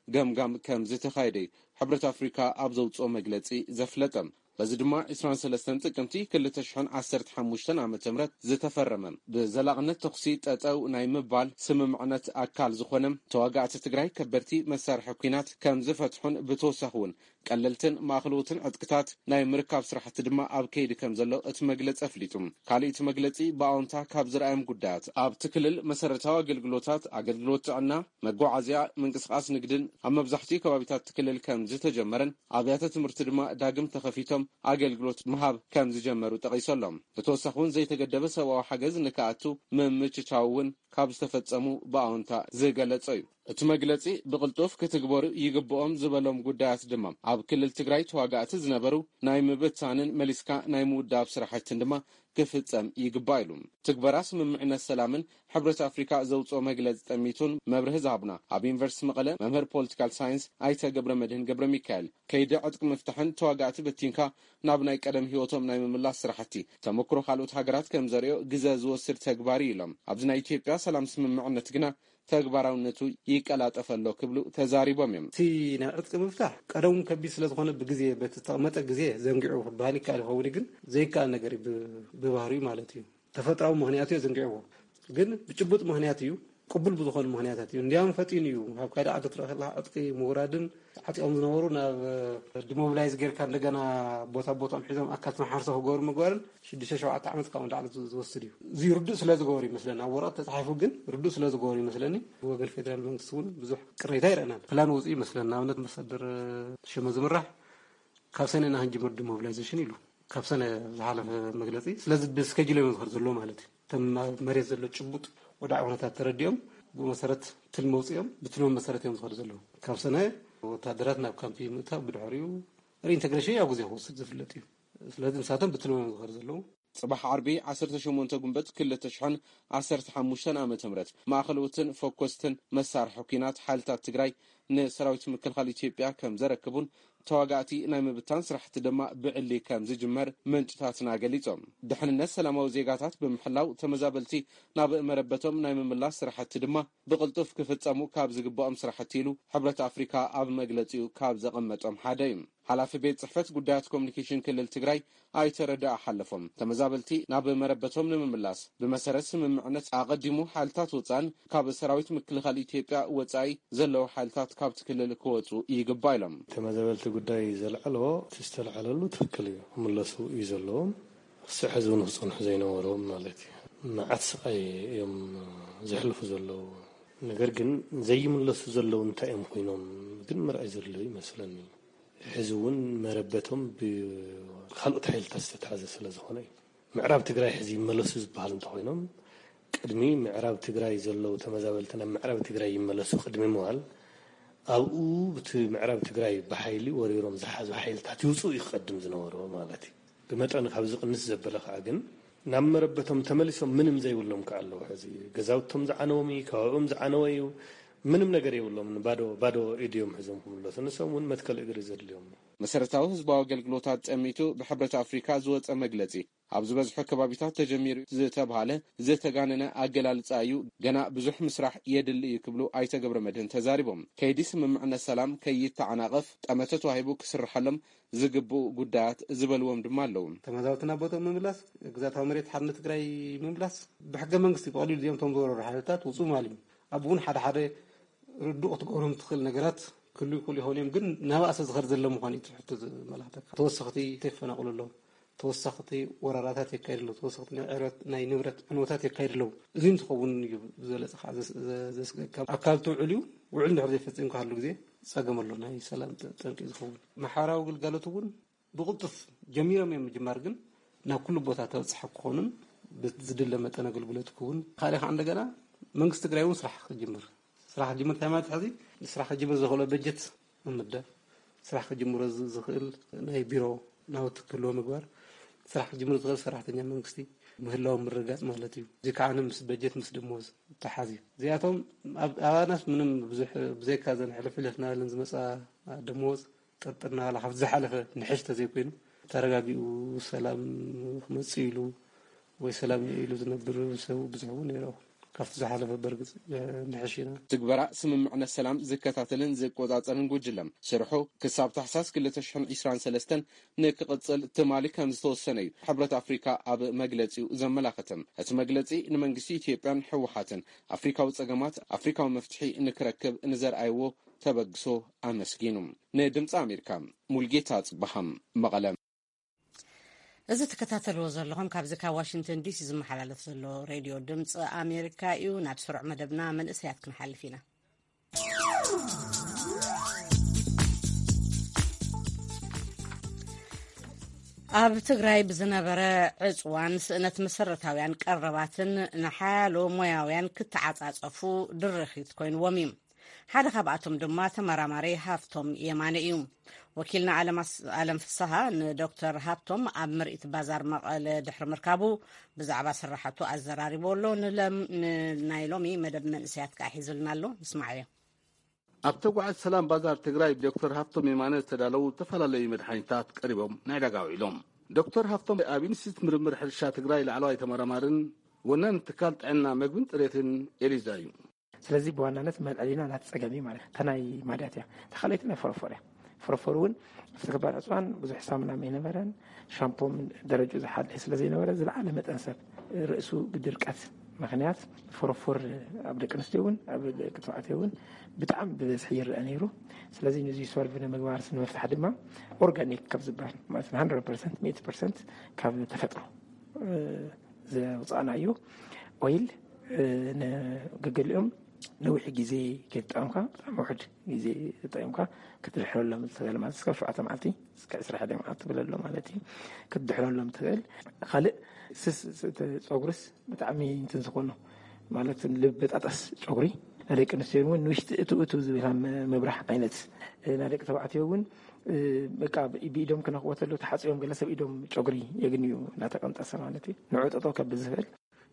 ገምጋም ከም ዝተኻየደ ሕብረት ኣፍሪካ ኣብ ዘውፅኦ መግለፂ ዘፍለጠ። በዚ ድማ ዕስራን ሰለስተን ጥቅምቲ ክልተ ሽሕን ዓሰርተ ሓሙሽተን ዓመተ ምህረት ዝተፈረመ ብዘላቕነት ተኹሲ ጠጠው ናይ ምባል ስምምዕነት ኣካል ዝኾነ፣ ተዋጋእቲ ትግራይ ከበድቲ መሳርሒ ኲናት ከም ዝፈትሑን ብተወሳኺ እውን ቀለልትን ማእኸለዎትን ዕጥቅታት ናይ ምርካብ ስራሕቲ ድማ ኣብ ከይዲ ከም ዘሎ እቲ መግለፂ ኣፍሊጡ። ካልእ እቲ መግለፂ ብኣወንታ ካብ ዝረኣዮም ጉዳያት ኣብቲ ክልል መሰረታዊ ኣገልግሎታት፣ ኣገልግሎት ጥዕና፣ መጓዓዝያ፣ ምንቅስቓስ ንግድን ኣብ መብዛሕትኡ ከባቢታት እቲ ክልል ከም ዝተጀመረን ኣብያተ ትምህርቲ ድማ ዳግም ተኸፊቶም ኣገልግሎት ምሃብ ከም ዝጀመሩ ጠቒሱ ኣሎ። ብተወሳኺ እውን ዘይተገደበ ሰብኣዊ ሓገዝ ንክኣቱ ምምችቻው እውን ካብ ዝተፈጸሙ ብኣወንታ ዝገለጾ እዩ። እቲ መግለጺ ብቕልጡፍ ክትግበሩ ይግብኦም ዝበሎም ጉዳያት ድማ ኣብ ክልል ትግራይ ተዋጋእቲ ዝነበሩ ናይ ምብታንን መሊስካ ናይ ምውዳብ ስራሕትን ድማ ክፍጸም ይግባእ ኢሉ። ትግበራ ስምምዕነት ሰላምን ሕብረት ኣፍሪካ ዘውፅኦ መግለፂ ጠሚቱን መብርሂ ዝሃቡና ኣብ ዩኒቨርሲቲ መቐለ መምህር ፖለቲካል ሳይንስ ኣይተ ገብረ መድህን ገብረ ሚካኤል፣ ከይዲ ዕጥቂ ምፍታሕን ተዋጋእቲ በቲንካ ናብ ናይ ቀደም ህይወቶም ናይ ምምላስ ስራሕቲ ተመክሮ ካልኦት ሃገራት ከም ዘርእዮ ግዘ ዝወስድ ተግባር እዩ ኢሎም። ኣብዚ ናይ ኢትዮጵያ ሰላም ስምምዕነት ግና ተግባራውነቱ ይቀላጠፍ ኣሎ ክብሉ ተዛሪቦም እዮም። እቲ ናይ ዕጥቂ ምፍታሕ ቀደሙ ከቢድ ስለዝኾነ ብግዜ በቲ ዝተቐመጠ ግዜ ዘንጊዑ ክበሃል ይከኣል ይኸውን፣ ግን ዘይከኣል ነገር እዩ ብ- ብባህሪኡ ማለት እዩ። ተፈጥራዊ ምኽንያት እዩ ዘንጊዕዎ፣ ግን ብጭቡጥ ምኽንያት እዩ፣ ቅቡል ብዝኾኑ ምኽንያታት እዩ። እንዲያውም ፈጢኑ እዩ። ኣብ ካልእ ዓዲ ትረኽላ ዕጥቂ ምውራድን ዓጢቖም ዝነበሩ ናብ ዲሞብላይዝ ጌርካ እንደገና ቦታ ቦታኦም ሒዞም ኣካል ተመሓርሶ ክገብሩ ምግባርን ሽዱሽተ ሸውዓተ ዓመት ካብኡ ንላዕሊ ዝ- ዝወስድ እዩ። እዚ ርዱእ ስለ ዝገበሩ ይመስለኒ፣ ኣብ ወረቐት ተፃሒፉ ግን ርዱእ ስለ ዝገበሩ ይመስለኒ። ብወገን ፌደራል መንግስቲ እውን ብዙሕ ቅሬታ ይረአናል። ፕላን ወፅኡ ይመስለኒ። ንኣብነት ኣምባሳደር ሽመ ዝምራሕ ካብ ሰነ ኢና ክንጅምር ዲሞብላይዜሽን ኢሉ፣ ካብ ሰነ ዝሓለፈ መግለፂ። ስለዚ ብስኬጁል እዮም ዝኸዱ ዘለዎ ማለት እዩ። ከም ኣብ መሬት ዘሎ ጭቡጥ ወዳዕ ኩነታት ተረዲኦም፣ ብኡ መሰረት ትልሚ ኣውፂኦም፣ ብትልሚ መሰረት እዮም ዝኸዱ ዘለዉ። ካብ ሰነ ወታደራት ናብ ካምፕ ምእታው፣ ብድሕሪኡ ሪኢንተግሬሽን ኣብ ግዜ ክወስድ ዝፍለጥ እዩ። ስለዚ ንሳቶም ብትልሚ እዮም ዝኸዱ ዘለዉ። ጽባሕ ዓርቢ ዓሰርተ ሸሞንተ ጉንበት ክልተ ሽሕን ዓሰርተ ሓሙሽተን ዓመተ ምህረት ማእኸለዎትን ፈኮስትን መሳርሒ ኲናት ሓይልታት ትግራይ ንሰራዊት ምክልኻል ኢትዮጵያ ከም ዘረክቡን ተዋጋእቲ ናይ ምብታን ስራሕቲ ድማ ብዕሊ ከም ዝጅመር ምንጭታትና ገሊጾም። ድሕንነት ሰላማዊ ዜጋታት ብምሕላው ተመዛበልቲ ናብ መረበቶም ናይ ምምላስ ስራሕቲ ድማ ብቕልጡፍ ክፍጸሙ ካብ ዝግባኦም ስራሕቲ ኢሉ ሕብረት ኣፍሪካ ኣብ መግለጺኡ ካብ ዘቐመጦም ሓደ እዩ። ሓላፊ ቤት ጽሕፈት ጉዳያት ኮሚኒኬሽን ክልል ትግራይ ኣይተ ረዳኣ ሓለፎም፣ ተመዛበልቲ ናብ መረበቶም ንምምላስ ብመሰረት ስምምዕነት ኣቐዲሙ ሓይልታት ወፃእን ካብ ሰራዊት ምክልኻል ኢትዮጵያ ወፃኢ ዘለዉ ሓይልታት ካብቲ ክልል ክወፁ ይግባእ ኢሎም። ተመዛበልቲ ጉዳይ ዘልዓልዎ እቲ ዝተልዓለሉ ትክክል እዩ፣ ክምለሱ እዩ ዘለዎም። ክስዕ ሕዚ እውን ክፀንሑ ዘይነበሮም ማለት እዩ። መዓት ስቃይ እዮም ዘሕልፉ ዘለዉ። ነገር ግን ዘይምለሱ ዘለዉ እንታይ እዮም ኮይኖም ግን ምርኣይ ዘሎ ይመስለኒ። ሕዚ እውን መረበቶም ብካልኦት ሓይልታት ዝተታሕዘ ስለ ዝኾነ እዩ። ምዕራብ ትግራይ ሕዚ ይመለሱ ዝበሃል እንተኾይኖም፣ ቅድሚ ምዕራብ ትግራይ ዘለዉ ተመዛበልቲ ናብ ምዕራብ ትግራይ ይመለሱ ቅድሚ ምባል፣ ኣብኡ ብቲ ምዕራብ ትግራይ ብሓይሊ ወሪሮም ዝሓዙ ሓይልታት ይውፅኡ እዩ ክቐድም ዝነበሮ ማለት እዩ። ብመጠኑ ካብ ዝቕንስ ዘበለ ከዓ ግን ናብ መረበቶም ተመሊሶም ምንም ዘይብሎም ከዓ ኣለዉ። ሕዚ ገዛውቶም ዝዓነዎም እዩ፣ ከባቢኦም ዝዓነወ እዩ፣ ምንም ነገር የብሎም። ባዶ ባዶ ኢድዮም ሕዞም ክምለሱ፣ ንሶም እውን መትከል እግሪ ዘድልዮም እዩ። መሰረታዊ ህዝባዊ ኣገልግሎታት ጠሚቱ ብሕብረት ኣፍሪካ ዝወፀ መግለፂ፣ ኣብ ዝበዝሑ ከባቢታት ተጀሚሩ ዝተብሃለ ዝተጋነነ ኣገላልፃ እዩ፣ ገና ብዙሕ ምስራሕ የድሊ እዩ ክብሉ ኣይተ ገብረ መድህን ተዛሪቦም። ከይዲ ስምምዕነት ሰላም ከይተዓናቐፍ ጠመተ ተዋሂቡ ክስርሐሎም ዝግብኡ ጉዳያት ዝበልዎም ድማ ኣለዉ። ተመዛበልቲ ናብ ቦታኦም ምምላስ፣ ግዛታዊ መሬት ሓርነት ትግራይ ምምላስ፣ ብሕገ መንግስቲ ብቐሊሉ እዚኦም እቶም ዝወረሩ ሓይልታት ውፁ ማል እዩ። ኣብኡ እውን ሓደ ሓደ ርዱእ ክትገብሮም ትኽእል ነገራት ክህሉ ይኽእሉ ይኸውን እዮም፣ ግን ናብኣሰ ዝኸድ ዘሎ ምዃኑ እዩ እቲ ሕቶ ዘመላኽተካ። ተወሰኽቲ ይፈናቕሉ ኣለዉ፣ ተወሰኽቲ ወረራታት የካይዱ ኣለዉ፣ ተወሰኽቲ ናይ ዕረት-፣ ናይ ንብረት ዕንወታት የካይዱ ኣለዉ። እዚ እንትኸውን እዩ ብዝበለፀ ከዓ ዘስ-፣ ዘ-፣ ዘስግእካ። ኣብ ካልእ ትውዕል እዩ፣ ውዕል እንድሕር ዘይፈፂምካ ኩሉ ግዜ ፀገም ኣሎ፣ ናይ ሰላም ጠ-፣ ጠንቂ ዝኸውን። ማሕበራዊ ግልጋሎት እውን ብቕልጡፍ ጀሚሮም እዮም ምጅማር፣ ግን ናብ ኩሉ ቦታ ተበፅሐ ክኾኑን ብዝድለ መጠን ኣገልግሎት ክውን። ካልእ ከዓ እንደገና መንግስቲ ትግራይ እውን ስራሕ ክጅምር፣ ስራሕ ክጅምር እንታይ ማለት ሕዚ? ስራሕ ክጅምር ዘኽእሎ በጀት ምምዳብ፣ ስራሕ ክጅምሮ ዝ-፣ ዝኽእል ናይ ቢሮ ናውቲ ክህልዎ ምግባር፣ ስራሕ ክጅምር ዝኽእል ሰራሕተኛ መንግስቲ ምህላው ምርጋፅ ማለት እዩ። እዚ ከዓ ምስ በጀት ምስ ደሞዝ ተሓዝ እዩ። እዚኣቶም ኣብ ኣባናስ ምንም ብዙሕ ብዘይካ ዘን ሕልፍ ሕልፍ ናበለን ዝመፃ ደሞዝ ጥርጥር ናበላ ካብቲ ዝሓለፈ ንሕሽ ተዘይኮይኑ ተረጋጊኡ ሰላም ክመፅእ ኢሉ ወይ ሰላም ኢሉ ዝነብር ሰብ ብዙሕ እውን ነይሩ። ካብቲ ዝሓለፈ በርግፅ ንሕሽ ኢና። ትግበራ ስምምዕነት ሰላም ዝከታተልን ዝቆፃፀርን ጉጅለ ስርሑ ክሳብ ታሕሳስ ክልተ ሽሕን ዕስራን ሰለስተን ንክቕፅል ትማሊ ከም ዝተወሰነ እዩ ሕብረት ኣፍሪካ ኣብ መግለፂኡ ዘመላኸተ። እቲ መግለፂ ንመንግስቲ ኢትዮጵያን ህወሓትን ኣፍሪካዊ ፀገማት ኣፍሪካዊ መፍትሒ ንክረክብ ንዘርኣይዎ ተበግሶ ኣመስጊኑ። ንድምፂ ኣሜሪካ ሙልጌታ ጽበሃም መቐለ። እዚ ትከታተልዎ ዘለኹም ካብዚ ካብ ዋሽንግተን ዲሲ ዝመሓላለፍ ዘሎ ሬድዮ ድምፂ ኣሜሪካ እዩ። ናብ ስሩዕ መደብና መንእሰያት ክንሓልፍ ኢና። ኣብ ትግራይ ብዝነበረ ዕፅዋን ስእነት መሰረታውያን ቀረባትን ንሓያሎ ሞያውያን ክተዓፃፀፉ ድርኺት ኮይንዎም እዩ። ሓደ ካብኣቶም ድማ ተመራማሪ ሃፍቶም የማነ እዩ። ወኪልና ኣለም ኣስ-፣ ኣለም ፍስሃ ንዶክተር ሃብቶም ኣብ ምርኢት ባዛር መቐለ ድሕሪ ምርካቡ ብዛዕባ ስራሕቱ ኣዘራሪቦ ኣሎ። ንለም-፣ ን-፣ ናይ ሎሚ መደብ መንእሰያት ከዓ ሒዙልና ኣሎ። ንስማዓዮ። ኣብ ተጓዓዝ ሰላም ባዛር ትግራይ ብዶክተር ሃብቶም የማነ ዝተዳለዉ ዝተፈላለዩ መድሓኒታት ቀሪቦም ንዕዳጋ ውዒሎም። ዶክተር ሃብቶም ኣብ ኢንስቲትዩት ምርምር ሕርሻ ትግራይ ላዕለዋይ ተመራማርን ወናን ትካል ጥዕና መግብን ፅሬትን ኤሊዛ እዩ። ስለዚ ብዋናነት መልዐሊና ናቲ ጸገም እዩ ማለት እታ ናይ ማድያት እያ። እታ ካልኣይቲ ናይ ፎረፎር እያ። ፎረፎር እውን ኣብቲ ገባር ዕፅዋን ብዙሕ ሳሙና ኣይነበረን፣ ሻምፖ ደረጅኡ ዝሓለየ ስለ ዘይነበረ ዝለዓለ መጠን ሰብ ርእሱ ብድርቀት ምኽንያት ፎረፎር ኣብ ደቂ ኣንስትዮ እውን ኣብ ደቂ ተባዕትዮ እውን ብጣዕሚ ብበዝሒ ይረአ ነይሩ። ስለዚ ነዚ ሶልቭ ንምግባር ንምፍታሕ ድማ ኦርጋኒክ ካብ ዝበሃል ማለት ን hundred percent ሚእቲ ፐርሰንት ካብ ተፈጥሮ ዘውፃእናዮ ኦይል ንገገሊኦም ነዊሕ ግዜ ከይተጠቐምካ፣ ብጣዕሚ ውሕድ ግዜ ተጠቂምካ ክትድሕረሎም ትኽእል ማለት፣ እስከ ሸውዓተ መዓልቲ፣ እስከ ዕስራ ሓደ መዓልቲ ትብለሎ ማለት እዩ። ክትድሕረሎም ትኽእል። ካልእ ስስ፣ ስ-፣ እቲ ጸጉርስ ብጣዕሚ እንትን ዝኾኑ ማለት ልብጣጣስ ጨጉሪ ናይ ደቂ ኣንስትዮ እውን ንውሽጢ እቱ እቱ ዝብል መ-፣ ምብራህ ዓይነት፣ ናይ ደቂ ተባዕትዮ እውን በቃ ብኢዶም ክነኽዎ ተሎ ተሓጽዮም ገለ ሰብ ኢዶም ጨጉሪ የግንዩ እናተቐንጠሰ ማለት እዩ። ንዑ ጠጠው ከብል ዝኽእል።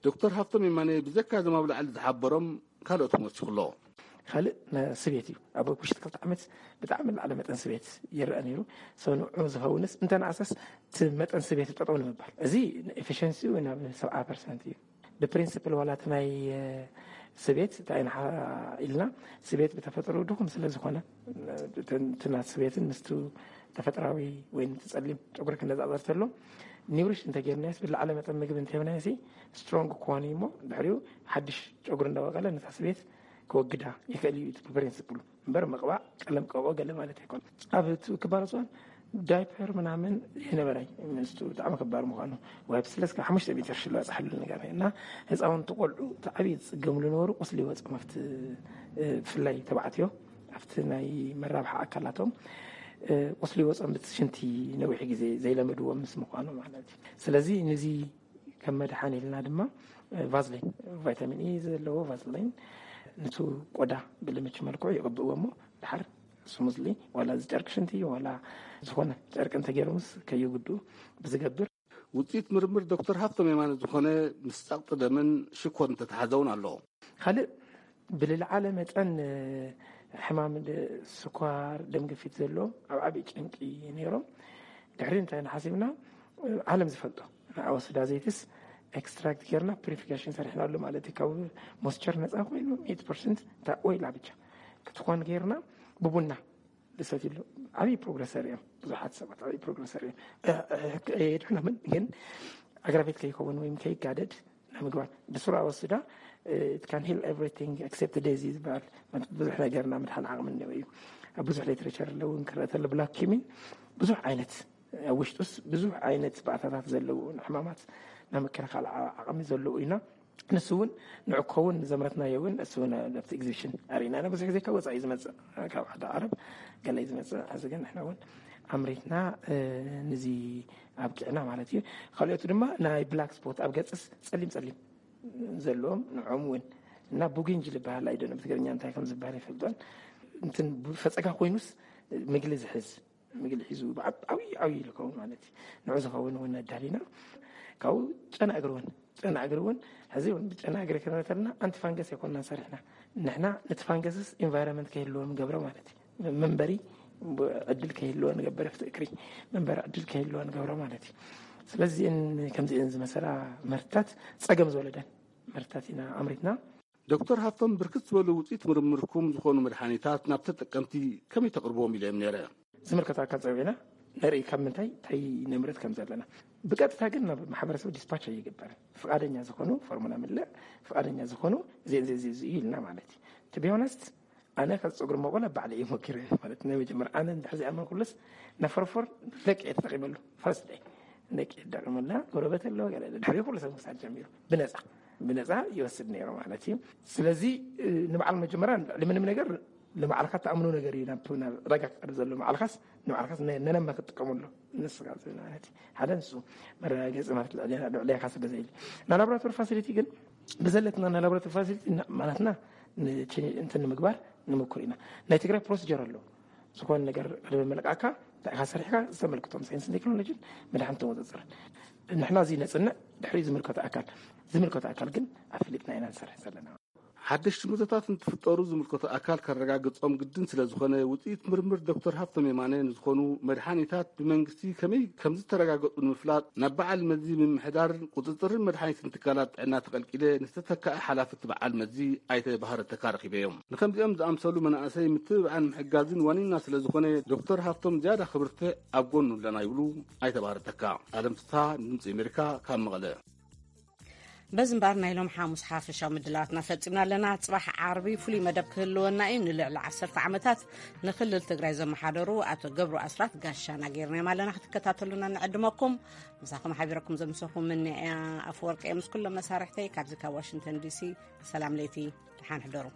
ዶክተር ሃፍቶም የማነ ብዘካ እዞም ኣብ ላዕሊ ዝሓበሮም ካልኦት እውን ወሲኹ ኣሎ። ካልእ ነ-፣ ስቤት እዩ። ኣብ ውሽጢ ክልተ ዓመት ብጣዕሚ ላዕሊ መጠን ስቤት ይረአ ነይሩ። ሰው ንዑ ዝኸውንስ እንተነኣሰስ እቲ መጠን ስቤት ጠጠው ንምባል። እዚ ኤፊሽንሲኡ ናብ ሰብዓ ፐርሰንት እዩ። ብፕሪንሲፕል ዋላ እቲ ናይ፣ እ፣ ስቤት እንታይ ኢና ኢልና፣ ስቤት ብተፈጥሮ ድኹም ስለ ዝኾነ፣ እ፣ እቲ ናት ስቤትን ምስቱ ተፈጥራዊ ወይ እቲ ጸሊም ጨጉሪ ክነጻጸር ተሎ፣ ኒውሪሽ እንተጌርናዮስ፣ ብላዕለ መጠን ምግቢ እንተሂብናዮሲ፣ ስትሮንግ ክኾን እዩ እሞ፣ ድሕሪኡ ሓድሽ ጨጉሪ እንዳበቀለ ነታ ስቤት ክወግዳ ይኽእል እዩ፣ እቲ ፕሪንሲፕሉ። እምበር ምቕባእ ቀለም ቀብኦ ገለ ማለት ኣይኮን። ኣብ እቲ ክባር እዋን ዳይፐር ምናምን ይነበራይ፣ ምስቱ ብጣዕሚ ክባር ምዃኑ። ዋይፕስ ለስካ ሓሙሽተ ሜትር ሽሎ ኣጽሓሉ ነገር እና ህፃውንቲ ቆልዑ እቲ ዓብዪ ዝጽገምሉ ነበሩ ቁስሊ ይወፅኦም ኣብቲ፣ እ፣ ብፍላይ ተባዕትዮ ኣብቲ ናይ መራብሓ ኣካላቶም፣ እ፣ ቁስሊ ይወፅኦም ብቲ ሽንቲ ነዊሕ ግዜ ዘይለመድዎም ምስ ምዃኑ ማለት እዩ። ስለዚ ንዚ ከም መድሓን ኢልና ድማ፣ እ፣ ቫዝሊን፣ ቫይታሚን ኢ ዘለዎ ቫዝሊን ንቱ ቆዳ ብልምች መልክዑ ይቕብእዎ እሞ ድሓር ስሙዝሊ ዋላ እዚ ጨርቂ ሽንቲ ዋላ ዝኾነ ጨርቂ እንተገይሮምስ ከይጉድኡ ብዝገብር። ውፅኢት ምርምር ዶክተር ሃፍቶም የማነ ዝኾነ ምስ ጸቕጢ ደምን ሽኮር እንተተሓዘውን ኣሎ። ካልእ ብልልዓለ መጠን፣ እ፣ ሕማም ድ-፣ ስኳር፣ ደም ግፊት ዘለዎም ኣብ ዓብዪ ጭንቂ ነይሮም። ድሕሪ እንታይ ንሓሲብና፣ እ፣ ዓለም ዝፈልጦ ንኣወስዳ ዘይትስ ኤክስትራክት ጌርና ፒሪፊኬሽን ሰሪሕናሉ ማለት እዩ። ካብ ሞስቸር ነፃ ኮይኑ ሚእቲ ፐርሰንት እታ ኦይላ ብቻ ክትኾን ጌርና ብቡና ዝሰትይሉ ዓብዪ ፕሮግረስ ኣርእዮም። ብዙሓት ሰባት ዓብዪ ፕሮግረስ ኣርእዮም። እ፣ እ፣ ሕክ-፣ የድሕኖምን ግን ኣግራቤት ከይከውን ወይም ከይጋደድ ንምግባር ብስሩ ኣወስዳ፣ እ፣ it can heal everything except disease ዝበሃል ብዙሕ ነገርና ምድሓን ዓቕሚ እኒኦ እዩ። ኣብ ብዙሕ ሊትሬቸር ኣለውን ክረአ ተሎ ብላክ ኪሚን ብዙሕ ዓይነት ኣብ ውሽጡስ ብዙሕ ዓይነት ባእታታት ዘለዎ ንሕማማት ናይ ምክልኻል ዓ-፣ ዓቕሚ ዘለዎ ኢና። ንሱ እውን ንዑ ክኸውን ዘምረትናዮ እውን እሱ እውን ኣብቲ ኤግዚቢሽን ኣርእና ኢና። ብዙሕ ግዜ ካብ ወፃኢ ዝመፅእ፣ ካብ ዓዲ ዓረብ ገለ እዩ ዝመፅእ። ሕዚ ግን ንሕና እውን ኣምሪትና፣ እ፣ ንዚ ኣብቂዕና ማለት እዩ። ካልኦቱ ድማ ናይ ብላክ ስፖት ኣብ ገፅስ ፀሊም ፀሊም ዘለዎም ንዖም እውን እና ቡጊንጅ ዝበሃል ኣይደነ ብትግርኛ እንታይ ከም ዝበሃል ይፈልጦን እንትን ፈፀጋ ኮይኑስ ምግሊ ዝሕዝ ምግሊ ሒዙ ብዓብ-፣ ዓብዪ ዓብዪ ኢሉ ከውን ማለት እዩ። ንዑ ዝኸውን እውን ኣዳሊና ካብኡ ጨና እግሪ እውን ጨና እግሪ እውን ሕዚ እውን ብጨና እግሪ ክንብል ከለና ኣንቲፋንገስ ኣይኮንና ሰሪሕና ንሕና ነቲ ፋንገስስ ኢንቫይሮንመንት ከይህልዎ ንገብሮ ማለት እዩ። መንበሪ ዕድል ከይህልዎ ንገብር ኣብቲ እግሪ መንበሪ ዕድል ከይህልዎ ንገብሮ ማለት እዩ። ስለዚእን ከምዚእን ዝመሰላ ምህርትታት ጸገም ዝወለደን ምህርትታት ኢና ኣምሪትና። ዶክተር ሃፍቶም ብርክት ዝበሉ ውፅኢት ምርምርኩም ዝኾኑ መድሓኒታት ናብ ተጠቀምቲ ከመይ ተቕርብዎም ኢለ እዮም ነይረ። ዝምልከቶ ኣካል ፀዊዕና ነርኢ ካብ ምንታይ እንታይ ነምርት ከም ዘለና ብቀጥታ ግን ናብ ማሕበረሰብ ዲስፓች ኣይግበርን። ፍቃደኛ ዝኾኑ ፎርሙላ ምልእ ፍቃደኛ ዝኾኑ እዚ እዚ እዚ እዚ እዩ ኢልና ማለት እዩ። To be honest ኣነ ካብ ፀጉሪ መቆላ ባዕለ እዩ ሞኪረ ማለት ናይ መጀመር ኣነ እንድሕር ዚኣመንኩሉስ ነፈርፎር ደቂ እየ ተጠቂመሉ ፈርስት ደይ ደቂ እየ ተጠቂመላ ጎረበት ኣለዎ ገለ ድሕሪ ኩሉ ሰብ ክሳድ ጀሚሩ ብነፃ ብነፃ ይወስድ ነይሩ ማለት እዩ። ስለዚ እ፣ ንበዓል መጀመርያ ልዕሊ ምንም ነገር ንባዕልካ ተኣምኖ ነገር እዩ ናብ ናብ ዕዳጋ ክቀርብ ዘሎ ንባዕልካስ ንባዕልካስ ነ- ነነማ ክትጥቀመሉ ንስኻ ዝብል ማለት እዩ። ሓደ ንሱ መረጋገፂ ማለት ልዕሌና ልዕሌካ ስለ ዘይል ናይ ላቦራቶሪ ፋሲሊቲ ግን ብዘለትና ናይ ላቦራቶሪ ፋሲሊቲ ና- ማለትና ን- ች- እንትን ንምግባር ንምኩር ኢና። ናይ ትግራይ ፕሮሲጀር ኣለዎ። ዝኾነ ነገር ቅድሚ ምልቃካ እንታይ ኢኻ ሰሪሕካ ዝተመልክቶም ሳይንስን ቴክኖሎጂን መድሓን ተወፅፅርን ንሕና እዚ ነፅንዕ ድሕሪ ዝምልከቶ ኣካል ዝምልከቶ ኣካል ግን ኣፍሊጥና ኢና ንሰርሕ ዘለና። ሓደሽቲ ምህቶታት እንትፍጠሩ ዝምልከቶ ኣካል ከረጋግጾም ግድን ስለ ዝኾነ ውፅኢት ምርምር ዶክተር ሃፍቶም የማነ ንዝኾኑ መድሓኒታት ብመንግስቲ ከመይ ከም ዝተረጋገጹ ንምፍላጥ ናብ በዓል መዚ ምምሕዳር ቁፅፅርን መድሓኒትን ትካላት ጥዕና ተቐልቂለ ንዝተተካእ ሓላፍቲ በዓል መዚ ኣይተ ባህረ ተካ ረኺበዮም። ንከምዚኦም ዝኣምሰሉ መናእሰይ ምትብባዕን ምሕጋዝን ዋኒና ስለ ዝኾነ ዶክተር ሃፍቶም ዝያዳ ክብርትዕ ኣብ ጎኑ ኣለና ይብሉ ኣይተ ባህረ ተካ። ኣለም ፍስሃ ድምፂ ኣሜሪካ ካብ መቐለ። በዚ እምበኣር ናይ ሎም ሓሙስ ሓፈሻዊ ምድላዋትና ፈጺምና ኣለና። ጽባሕ ዓርቢ ፍሉይ መደብ ክህልወና እዩ። ንልዕሊ ዓሰርተ ዓመታት ንክልል ትግራይ ዘመሓደሩ ኣቶ ገብሩ ኣስራት ጋሻና ጌርናዮም ኣለና። ክትከታተሉና ንዕድመኩም። ምሳኹም ሓቢረኩም ዘምሰኹም ምንያ ኣፈወርቂ እየ ምስ ኩሎም መሳርሕተይ ካብዚ ካብ ዋሽንግተን ዲሲ። ሰላም ለይቲ፣ ደሓን ሕደሩ።